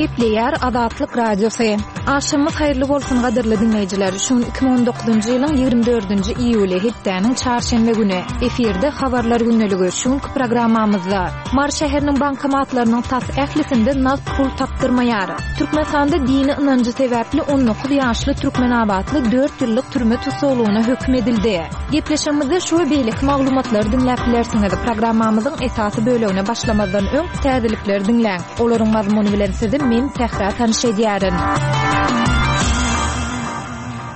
Gepleýär Azatlyk Radiosy. Agşamyňyz haýyrly bolsun gadyrly diňleýjiler. Şu gün 2019-njy ýylyň 24-nji iýuly, hepdäniň çarşenbe güni. Efirde Habarlar gündeligi. Şu günki programmamyzda Mary şäheriniň bankomatlarynyň tas ählisinde nagt pul tapdyrmaýar. Türkmenistanda dini ynanjy sebäpli 19 ýaşly türkmenabatly dört ýyllyk türme tussaglygyna höküm edildi. Gepleşigimizde şu we beýleki maglumatlary diňläp bilersiňiz. Programmamyzyň esasy bölegine başlamazdan öň, täzelikleri diňläň. Olaryň mazmuny bilen sizi men, Sähra tanyş edýärin.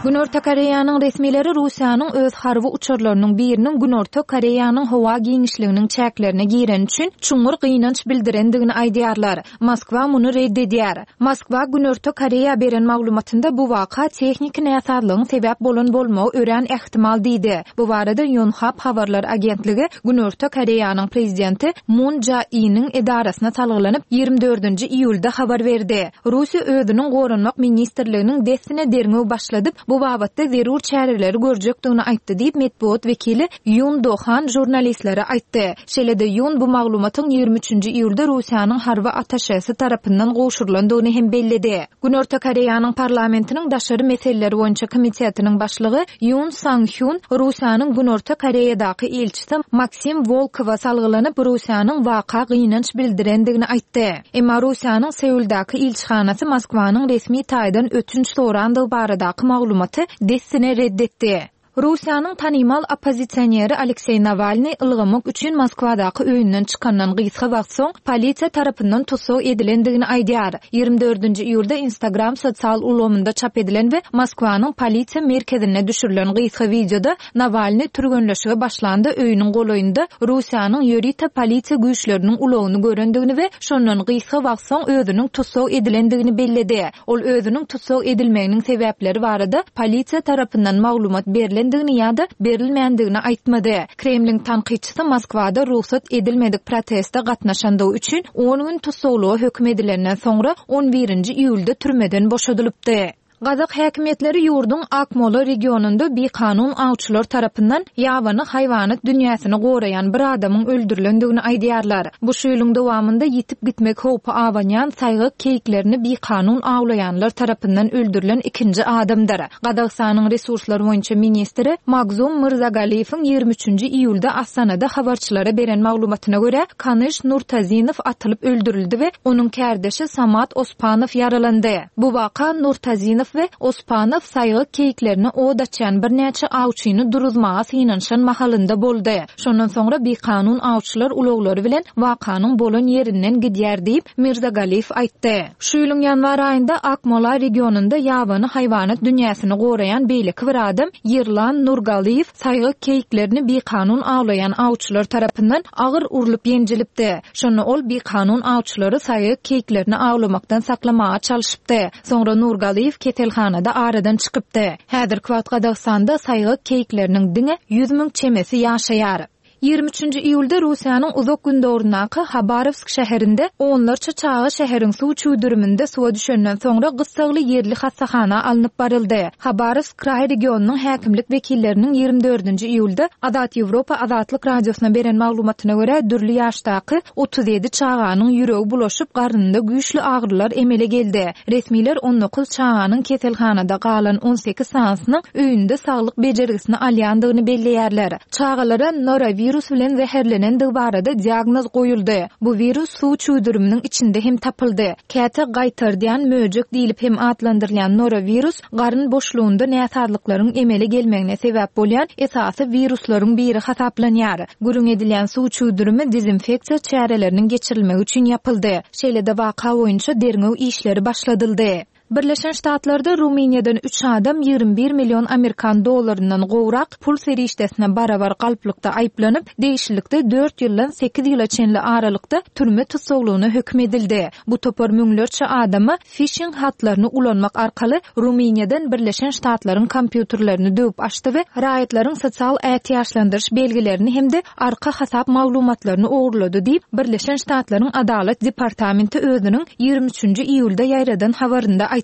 Günorta Koreýanyň resmileri Russiýanyň öz harby uçarlarynyň biriniň Günorta Koreýanyň howa giňişliginiň çäklerine gireni üçin çuňňur gynanç bildirendigini aýdýarlar. Moskwa muny ret edýär. Moskwa Günorta Koreýa beren maglumatynda bu waka tehniki näsazlygyň sebäp bolan bolmagy örän ähtimal diýdi. Bu barada Ýonhap habarlar agentligi Günorta Koreýanyň prezidenti Mun Jae-iniň edarasyna salgylanyp, 24-nji iýulda habar berdi. Russiýa özüniň Goranmak ministrliginiň dessine derňew başladyp, bu babatda zerur çäreleri görjekdigini aýtdy diýip, metbugat wekili Ýun Do Han žurnalistlere aýtdy. Şeýle-de Ýun bu maglumatyň 23-nji iýulda Russiýanyň harby attaşesi tarapyndan gowşurylandygyny hem belledi. Günorta Koreýanyň parlamentiniň daşary meseleler boýunça komitetiniň başlygy Ýun Sang Hyun Russiýanyň Günorta Koreýadaky ilçisi Maksim Wolkowa salgylanyp, Russiýanyň waka gynanç bildirendigini aýtdy. Emma Russiýanyň Seuldaky ilçihanasy Moskwanyň resmi taýdan ötünç sorandygy baradaky maglumaty dessine ret etdi. Russiýanyň tanymal oppozisioneri Alekseý Nawalnyý ylgamak üçin Moskwadaky öýünden çykandan gysga wagt soň polisiýa tarapyndan tussag edilendigini aýdýar. 24-nji iýulda Instagram sosial ulgamynda çap edilen we Moskwanyň polisiýa merkezinde düşürilen gysga wideoda Nawalnyý türgenleşige başlanda öýüniň golaýynda Russiýanyň ýörite polisiýa güýçleriniň ulagyny görendigini we şondan gysga wagt soň özüniň tussag edilendigini belledi. Ol özüniň tussag edilmeginiň sebäpleri barada polisiýa tarapyndan maglumat berlendigini ýa-da berilmändigini aýtmady. Kremliň tankytçysy Moskwada rugsat edilmedik proteste gatnaşandygy üçin on gün tussaglyga höküm edilenden soňra on birinji iýulda türmeden boşadylypdy. Gazak häkimiýetleri ýurduň Akmola regionynda bikanun awçylar tarapyndan ýabany haýwanat dünýäsini goraýan bir adamyň öldürilendigini aýdýarlar. Bu şu ýylyň dowamynda ýitip gitmek howpy abanýan saýgak keýiklerini bikanun awlaýanlar tarapyndan öldürilen ikinji adamdyr. Gazagystanyň resurslar boýunça ministri Magzum Myrzagaliýewiň 23-nji iýulda Astanada habarçylara beren maglumatyna görä, Kanyş Nurtazinow atylyp öldürildi we onuň kärdeşi Samat Ospanow ýaralandy. Bu waka Nurtazinow we Ospanow saýgak keýiklerine ot açýan birnäçe awçyny duruzmaga synanyşan mahalynda boldy. Şondan soňra bikanun awçylar ulaglary bilen wakanyň bolan ýerinden gidýär diýip, Mirzagaliýew aýtdy. Şu ýylyň ýanwar aýynda Akmola regionynda ýabany haýwanat dünýäsini goraýan beýleki bir adam Ýerlan Nurgaliýew saýgak keýiklerini bikanun awlaýan awçylar tarapyndan agyr urlup ýenjilipdi. Şonda ol bikanun awçylary saýgak keýiklerini awlamakdan saklamaga çalşypdy. Soňra Nurgaliýew keselhanada aradan çykypdy. Häzirki wagt Gazagystanda saýgak keýikleriniň diňe 100 müň çemesi ýaşaýar. 23-nji iýulda Russiýanyň Uzak Gündogaryndaky Habarowsk şäherinde onlarça çaga şäheriň suw çüwdüriminde suwa düşenden soňra gyssagly ýerli hassahana alnyp baryldy. Habarowsk kraý regionynyň häkimlik wekilleriniň 24-nji iýulda Azat Ýewropa Azatlyk Radiosyna beren maglumatyna görä, dürli ýaşdaky 37 çaganyň ýüregi bulaşyp, garnynda güýçli agyrylar emele geldi. Resmiler 19 çaganyň keselhanada galan 18 sanysynyň öýünde saglyk bejergisini alýandygyny belleýärler. Çagalara norowirus bilen zäherlenendigi barada diagnoz goýuldy. Bu wirus suw çüwdüriminiň içinde hem tapyldy. Käte gaýtardýan möjek diýlip hem atlandyrylýan norowirus garyn boşlugynda näsazlyklaryň emele gelmegine sebäp bolýan esasy wiruslaryň biri hasaplanýar. Gürrüň edilýän suw çüwdürimi dezinfeksiýa çäreleriniň geçirilmegi üçin ýapyldy. Şeýle-de waka boýunça derňew işleri başladyldy. Birleşen Ştatlarda Rumyniýadan üç adam 21 million amerikan dollaryndan gowrak pul serişdesine barabar galplykda aýyplanyp, degişlilikde dört ýyldan sekiz ýyla çenli aralykda türme tussaglygyna höküm edildi. Bu topar müňlerçe adama fişing hatlaryny ulanmak arkaly Rumyniýadan Birleşen Ştatlaryň kompýuterlerini döwüp açdy we raýatlaryň sosial ätiýaçlandyryş belgilerini hem-de arka hasap maglumatlaryny ogurlady diýip, Birleşen Ştatlaryň Adalat departamenti özüniň 23-nji iýulda ýaýradan habarynda aýtdy.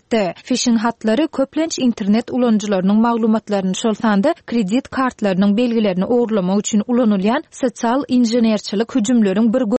Fişing hatlary, köplenç, internet ulanyjylarynyň maglumatlaryny, şol sanda kredit kartlarynyň belgilerini ogurlamak üçin ulanylýan sosial inženerçilik hüjümleriň bir.